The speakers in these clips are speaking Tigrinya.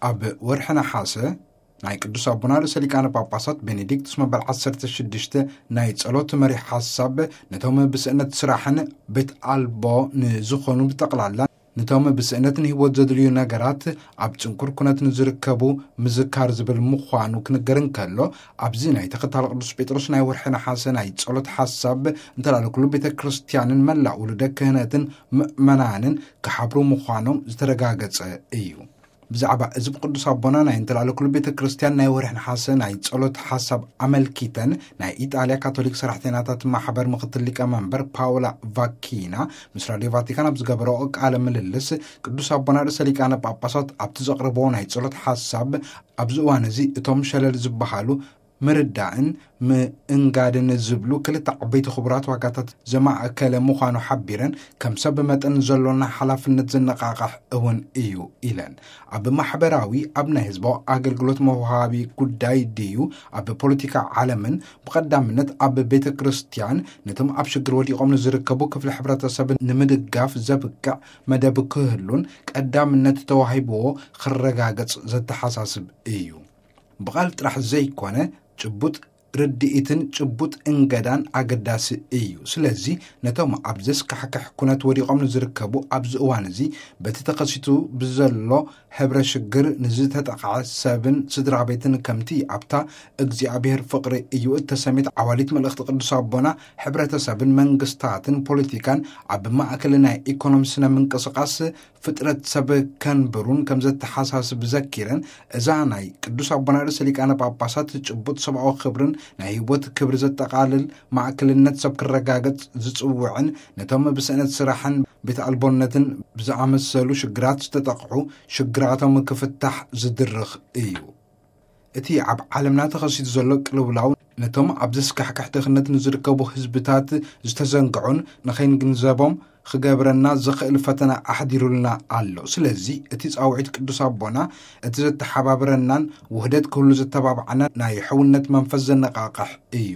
ኣብ ወርሒ ነሓሰ ናይ ቅዱስ ኣቦና ርእሰ ሊቃነ ጳጳሳት ቤኔዲክቱስ መበል ዓሰርተ ሽዱሽተ ናይ ጸሎት መሪሕ ሓሳብ፣ ነቶም ብስእነት ስራሕን ቤት ኣልቦ ንዝኾኑ ብጠቕላላ፣ ነቶም ብስእነት ንህይወት ዘድልዩ ነገራት፣ ኣብ ጽንኩር ኩነት ንዝርከቡ ምዝካር ዝብል ምዃኑ ክንገር እንከሎ፣ ኣብዚ ናይ ተኸታሊ ቅዱስ ጴጥሮስ ናይ ወርሒ ነሓሰ ናይ ጸሎት ሓሳብ፣ እንተላለኩሉ ቤተ ክርስቲያንን መላእ ውሉደ ክህነትን ምእመናንን ክሓብሩ ምዃኖም ዝተረጋገጸ እዩ። ብዛዕባ እዚ ብቅዱስ ኣቦና ናይ እንተላለኩሉ ቤተ ክርስቲያን ናይ ወርሒ ነሓሰ ናይ ጸሎት ሓሳብ ኣመልኪተን፣ ናይ ኢጣልያ ካቶሊክ ሰራሕተኛታት ማሕበር ምኽትል ሊቀ መንበር ፓውላ ቫኪና ምስ ራድዮ ቫቲካን ኣብ ዝገበረኦ ቃለ ምልልስ፣ ቅዱስ ኣቦና ርእሰ ሊቃነ ጳጳሳት ኣብቲ ዘቕርቦ ናይ ጸሎት ሓሳብ፣ ኣብዚ እዋን እዚ እቶም ሸለል ዝበሃሉ ምርዳእን ምእንጋድን ዝብሉ ክልተ ዓበይቲ ክቡራት ዋጋታት ዘማእከለ ምዃኑ ሓቢረን፣ ከም ሰብ መጠን ዘሎና ሓላፍነት ዘነቓቕሕ እውን እዩ ኢለን። ኣብ ማሕበራዊ፣ ኣብ ናይ ህዝባዊ ኣገልግሎት መውሃቢ ጉዳይ ድዩ፣ ኣብ ፖለቲካ ዓለምን ብቐዳምነት ኣብ ቤተ ክርስቲያን፣ ነቶም ኣብ ሽግር ወዲቖም ንዝርከቡ ክፍሊ ሕብረተሰብ ንምድጋፍ ዘብቅዕ መደብ ክህሉን ቀዳምነት ተዋሂብዎ ክረጋገጽ ዘተሓሳስብ እዩ። ብቓል ጥራሕ ዘይኮነ፣ ጭቡጥ ርድኢትን ጭቡጥ እንገዳን ኣገዳሲ እዩ። ስለዚ ነቶም ኣብ ዘስካሕክሕ ኩነት ወዲቖም ንዝርከቡ ኣብዚ እዋን እዚ በቲ ተኸሲቱ ብዘሎ ሕብረ ሽግር ንዝተጠቕዐ ሰብን ስድራ ቤትን ከምቲ ኣብታ እግዚኣብሔር ፍቕሪ እዩ እተሰሜት ዓዋሊት መልእኽቲ ቅዱስ ኣቦና፣ ሕብረተሰብን መንግስታትን ፖለቲካን ኣብ ማእከል ናይ ኢኮኖሚ ስነ ምንቅስቓስ ፍጥረት ሰብ ከንብሩን ከም ዘተሓሳስብ ዘኪረን፣ እዛ ናይ ቅዱስ ኣቦና ርእሰ ሊቃነ ጳጳሳት ጭቡጥ ሰብኣዊ ክብርን ናይ ህይወት ክብሪ ዘጠቓልል ማእከልነት ሰብ ክረጋገጽ ዝጽውዕን፣ ነቶም ብስእነት ስራሕን ቤት ኣልቦነትን ብዝኣመሰሉ ሽግራት ዝተጠቕዑ ሽግራቶም ክፍታሕ ዝድርኽ እዩ። እቲ ኣብ ዓለምና ተኸሲቱ ዘሎ ቅልውላው ነቶም ኣብ ዘስካሕክሕ ድኽነት ንዝርከቡ ህዝብታት ዝተዘንግዑን ንኸይንግንዘቦም ክገብረና ዝኽእል ፈተና ኣሕዲሩልና ኣሎ። ስለዚ እቲ ጻውዒት ቅዱስ ኣቦና እቲ ዘተሓባብረናን ውህደት ክህሉ ዘተባብዓና ናይ ሕውነት መንፈስ ዘነቓቕሕ እዩ።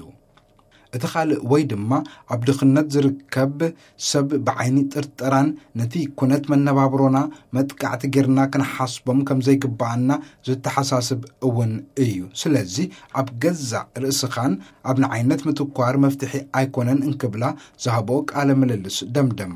እቲ ካልእ ወይ ድማ ኣብ ድኽነት ዝርከብ ሰብ ብዓይኒ ጥርጠራን ነቲ ኩነት መነባብሮና መጥቃዕቲ ጌርና ክንሓስቦም ከም ዘይግብኣና ዘተሓሳስብ እውን እዩ። ስለዚ ኣብ ገዛእ ርእስኻን ኣብ ንዓይነት ምትኳር መፍትሒ ኣይኮነን እንክብላ ዝሃብኦ ቃለ ምልልስ ደምደማ።